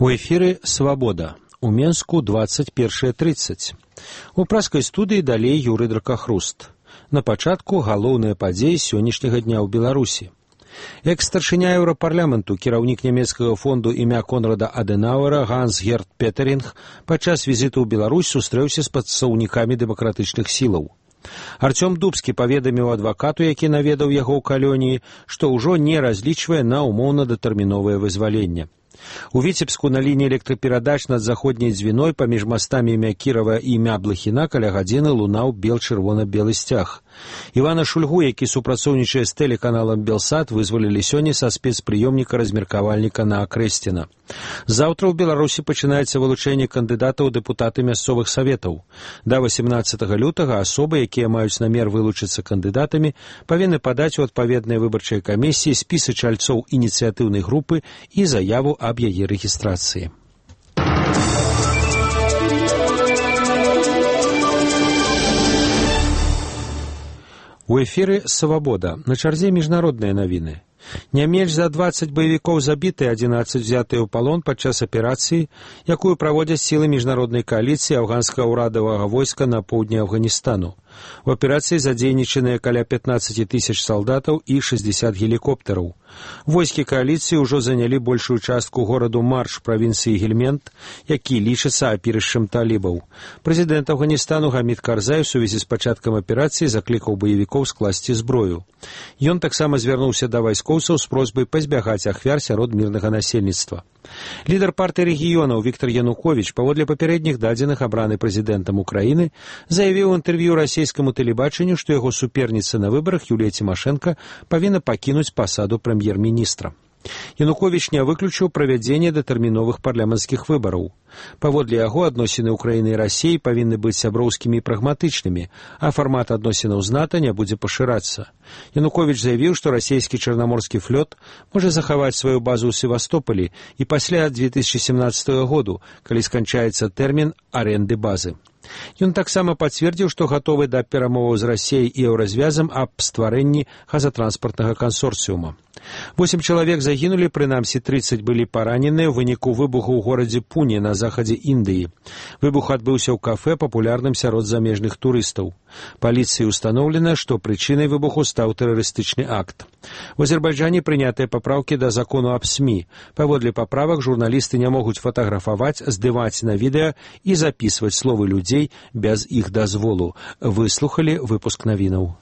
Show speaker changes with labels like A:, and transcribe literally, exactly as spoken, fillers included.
A: У эфіры «Свабода». У Менску двадцать першае тридцать. У праскай студыі далей Юрый Дракахруст. На пачатку галоўныя падзеі сённяшняга дня ў Беларусі. Экс-старшыня Еўрапарламенту, кіраўнік нямецкага фонду імя Конрада Адэнауэра Ганс-Герт Петеринг падчас візіту ў Беларусь сустрэўся з прадстаўнікамі дэмакратычных сілаў. Артём Дубскі паведаміў адвакату, які наведаў яго ў калоніі, што ўжо не разлічвае на умоўна-датэрміновае вызваленне. У Віцебску на лініі электраперадач над заходняй дзвіной паміж мастамі імя Кірава і імя Блахіна каля гадзіны лунаў бел-чырвона-белы сцяг. Івана Шульгу, які супрацоўнічае з тэлеканалам «Белсат», вызвалілі сёння са спецпрыёмніка размеркавальніка на Акрэсціна. Заўтра ў Беларусі пачынаецца вылучэнне кандыдатаў у дэпутаты мясцовых саветаў. Да васемнаццатага лютага асобы, якія маюць намер вылучыцца кандыдатамі, павінны падаць у адпаведныя выбарчыя камісіі спісы чальцоў ініцыятыўнай групы і заяву аб яе рэгістрацыі. У эфіры «Свабода». На чарзе міжнародныя навіны. Не менш за дваццаць баевікоў забіты, адзінаццаць взятыя ў палон падчас аперацыі, якую праводзяць сілы міжнароднай кааліцыі афганскага ўрадавага войска на поўдні Афганістану. У аперацыі задзейнічаныя каля пятнаццаць тысяч салдатаў і шэсцьдзесят гелікоптараў. Войскі кааліцыі ўжо занялі большую частку гораду Марш правінцыі Гельмент, які лічыцца апірышчам талібаў. Прэзідэнт Афганістану Гамід Карзай у сувязі з пачаткам аперацыі заклікаў баевікоў скласці зброю. Ён таксама звярнуўся да вайскоўцаў з просьбай пазбягаць ахвяр сярод мірнага насельніцтва. Лідар партыі рэгіёнаў Віктор Януковіч, паводле папярэдніх дадзеных абраны прэзідэнтам Украіны, заявіў у інтэрв'ю расійскаму тэлебачанню, што яго суперніца на выбарах Юлія Цімашэнка павінна пакінуць пасаду прэм'ер-міністра. Януковіч не выключыў правядзенне датэрміновых парламенцкіх выбараў. Паводле яго адносіны Украіны і Расіі павінны быць сяброўскімі і прагматычнымі, а фармат адносінаў з НАТО не будзе пашырацца. Януковіч заявіў, што расійскі чарнаморскі флот можа захаваць сваю базу ў Севастополі і пасля две тысячы семнаццатага году, калі сканчаецца тэрмін арэнды базы. Ён таксама пацвердзіў, што гатовы да перамоваў з Расіяй і еўразвязам аб стварэнні газатранспартнага кансорцыума. Восем чалавек загінулі, прынамсі трыццаць былі параненыя ў выніку выбуху ў горадзе Пуне на захадзе Індыі. Выбух адбыўся ў кафэ, папулярным сярод замежных турыстаў. Паліцыі ўстаноўлена, што прычынай выбуху стаў тэрарыстычны акт. У Азербайджане прынятыя папраўкі да закону аб СМІ. Паводле паправак журналісты не могуць фатаграфаваць, здымаць на відэа і запісваць словы людзей без іх дазволу. Выслухалі выпуск навінаў.